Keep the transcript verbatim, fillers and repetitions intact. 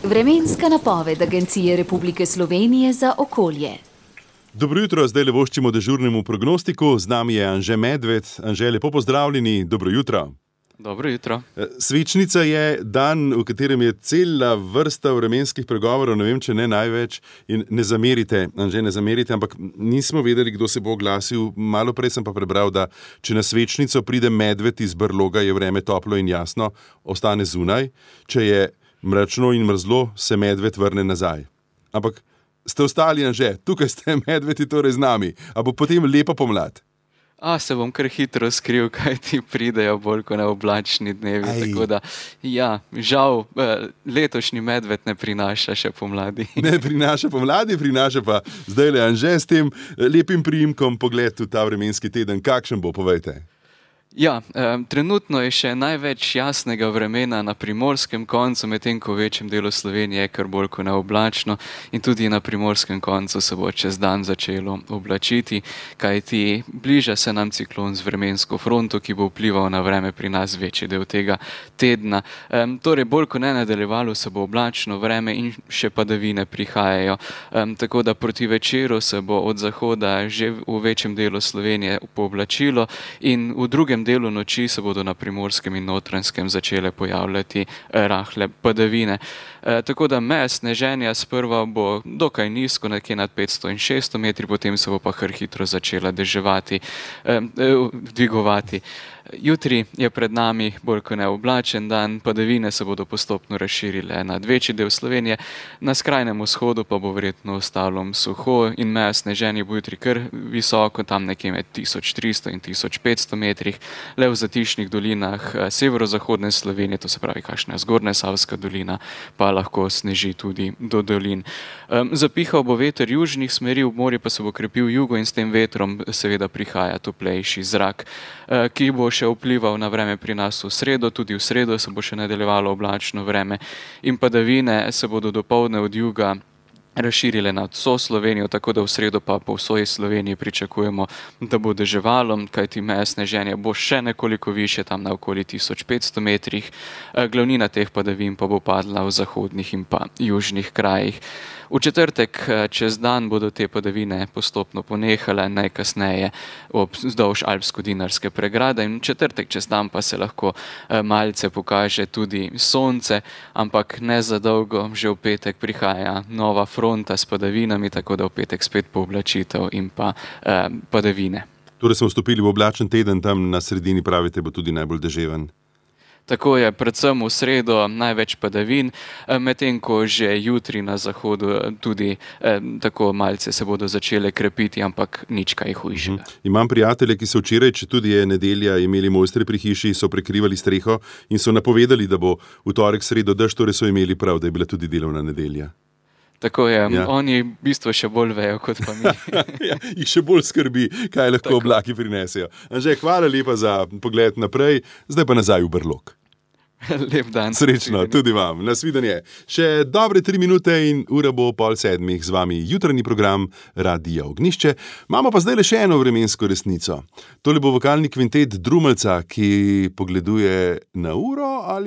Vremenska napoved Agencije Republike Slovenije za okolje. Dobro jutro, zdaj le voščimo dežurnemu prognostiku. Z nami je Anže Medved. Anže, lepo pozdravljeni, dobro jutro. Dobro jutro. Svečnica je dan, v katerem je cela vrsta vremenskih pregovorov, ne vem, če ne največ. In ne zamerite, Anže, ne zamerite, ampak nismo vedeli, kdo se bo oglasil. Malo prej sem pa prebral, da če na svečnico pride medved iz brloga, je vreme toplo in jasno, ostane zunaj. Če je mračno in mrzlo, se medved vrne nazaj. Ampak ste ostali, Anže, tukaj ste medvedi torej z nami. A bo potem lepa pomlad? A, se bom kar hitro skril, kaj ti pridejo bolj kot neoblačni dnevi. Aj. Tako da, ja, žal, letošnji medved ne prinaša še pomladi. Ne prinaša pomladi, prinaša pa zdaj le Anže s tem lepim priimkom pogled v ta vremenski teden. Kakšen bo, povejte? Ja, eh, trenutno je še največ jasnega vremena na primorskem koncu, medtem ko v večjem delu Slovenije je kar bolj kot neoblačno in tudi na primorskem koncu se bo čez dan začelo oblačiti, kajti bliža se nam ciklon z vremensko fronto, ki bo vplival na vreme pri nas večji del tega tedna. Eh, torej, bolj kot ne nadaljevalo se bo oblačno vreme in še padavine prihajajo. Eh, tako da proti večeru se bo od zahoda že v večjem delu Slovenije pooblačilo in v drugem delu noči se bodo na primorskem in notranjskem začele pojavljati rahle padavine. E, tako da meja sneženja sprva bo dokaj nizko, nekje nad petsto in šeststo metri, potem se bo pa kar hitro začela deževati, e, dvigovati. Jutri je pred nami bolj kot neoblačen dan, padavine se bodo postopno razširile nad večji del Slovenije, na skrajnem vzhodu pa bo verjetno ostalo suho in meja sneženja bo jutri kar visoko, tam nekje med tisoč tristo in tisoč petsto metrih, le v zatišnih dolinah severozahodne Slovenije, to se pravi kakšna zgornja Savska dolina, pa lahko sneži tudi do dolin. Um, zapihal bo veter južnih smeri, v morju pa se bo krepil jugo in s tem vetrom seveda prihaja toplejši zrak, uh, ki bo še vplival na vreme pri nas v sredo, tudi v sredo se bo še nadaljevalo oblačno vreme in padavine se bodo dopoldne od juga razširile nad vso Slovenijo, tako da v sredo pa po vsej Sloveniji pričakujemo, da bo deževalo, kajti meja sneženja bo še nekoliko više, tam na okoli tisoč petsto metrih, glavnina teh padavin pa bo padla v zahodnih in pa južnih krajih. V četrtek čez dan bodo te padavine postopno ponehale, najkasneje vzdolž alpsko-dinarske pregrade in v četrtek čez dan pa se lahko malce pokaže tudi sonce, ampak ne za dolgo, že v petek prihaja nova fronta s padavinami, tako da v petek spet pooblačitev in pa eh, padavine. Torej smo vstopili v oblačen teden, tam na sredini pravite bo tudi najbolj deževen. Tako je, predvsem v sredo največ padavin, medtem ko že jutri na zahodu tudi eh, tako malce se bodo začele krepiti, ampak nič kaj hujšega. Mhm. Imam prijatelje, ki so včeraj, če tudi je nedelja, imeli mojstri pri hiši, so prekrivali streho in so napovedali, da bo v torek sredo dež, torej so imeli prav, da je bila tudi delovna nedelja. Tako je, ja. Oni v bistvu še bolj vejo kot pa mi. Ja, jih še bolj skrbi, kaj lahko tako oblaki prinesejo. Anže, hvala lepa za pogled naprej, zdaj pa nazaj v brlog. Lep dan. Srečno, tudi vam. Nasvidenje. Še dobre tri minute in ura bo pol sedmih, z vami jutranji program Radia Ognjišče. Imamo pa zdaj le še eno vremensko resnico. Tole bo vokalni kvintet Drumeljca, ki pogleduje na uro ali